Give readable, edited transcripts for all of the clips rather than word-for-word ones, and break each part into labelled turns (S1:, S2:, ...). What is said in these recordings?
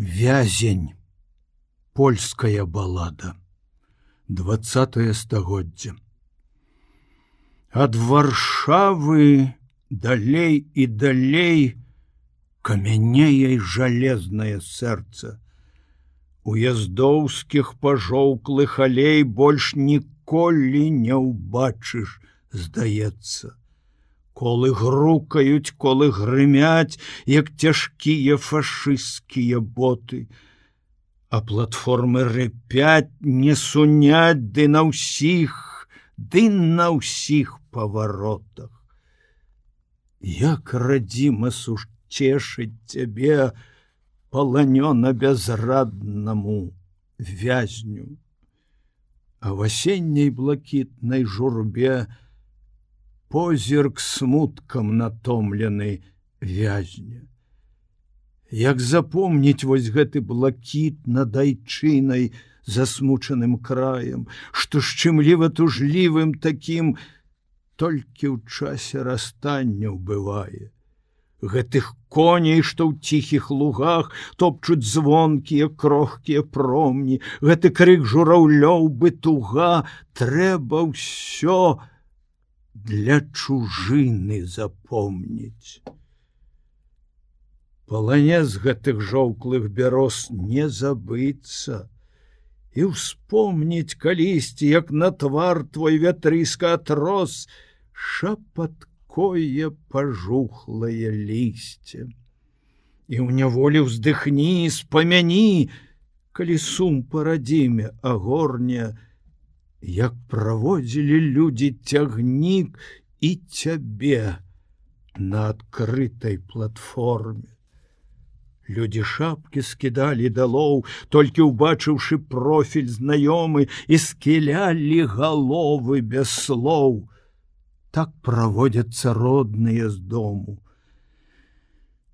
S1: Вязень. Польская балада. 20-е стагоддзе. Ад Варшавы далей і далей камянее жалезнае сэрца. Уездоўскіх пажоўклых алей больш ніколі не ўбачыш, здаецца. Колы грукаюць, колы грымяць, як цяжкія фашысцкія боты. А платформы рыпяць, не сунять, ды на ўсіх паваротах. Як радзіма сушцешыць цябе паланёна бязраднаму вязню. А в асенняй блакітнай журбе позірк смуткам натомлены вязня. Як запомніць вось гэты блакіт над айчынай засмучаным краем, што шчымліва тужлівым такім толькі ў часе расстання бывае. Гэтых коней, што ў ціхіх лугах топчуць звонкія крохкія промні, гэты крык жураўлёў бы туга, трэба ўсё для чужыны запомніць. Паланез гэтых жоўклых бяроз не забыцца і ўспомніць калісьці, як на твар твой вятрыска атрос шапаткое пажухлае лісце. І ў няволі ўздыхні, спамяні, калі сум па радзіме агорне, як праводзілі людзі цягнік і цябе на адкрытай платформе. Людзі шапкі скідалі далоў, толькі ўбачыўшы профіль знаёмы, і скілялі галовы без слоў. Так праводзяцца родныя з дому.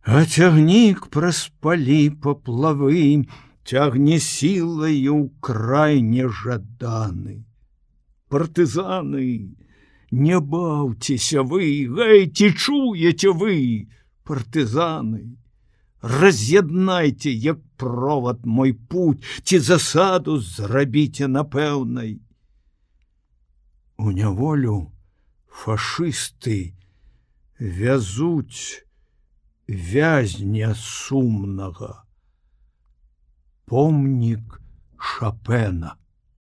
S1: А цягнік праз палі паплавы цягне сілаю ў край нежаданы. Партызаны, не баўцеся вы, гэй, ці чуеце вы, партызаны? Раз'яднайце, як провод мой путь, ці засаду зрабіце напэўнай. У няволю фашысты вязуць вязня сумнага. Помнік Шапена.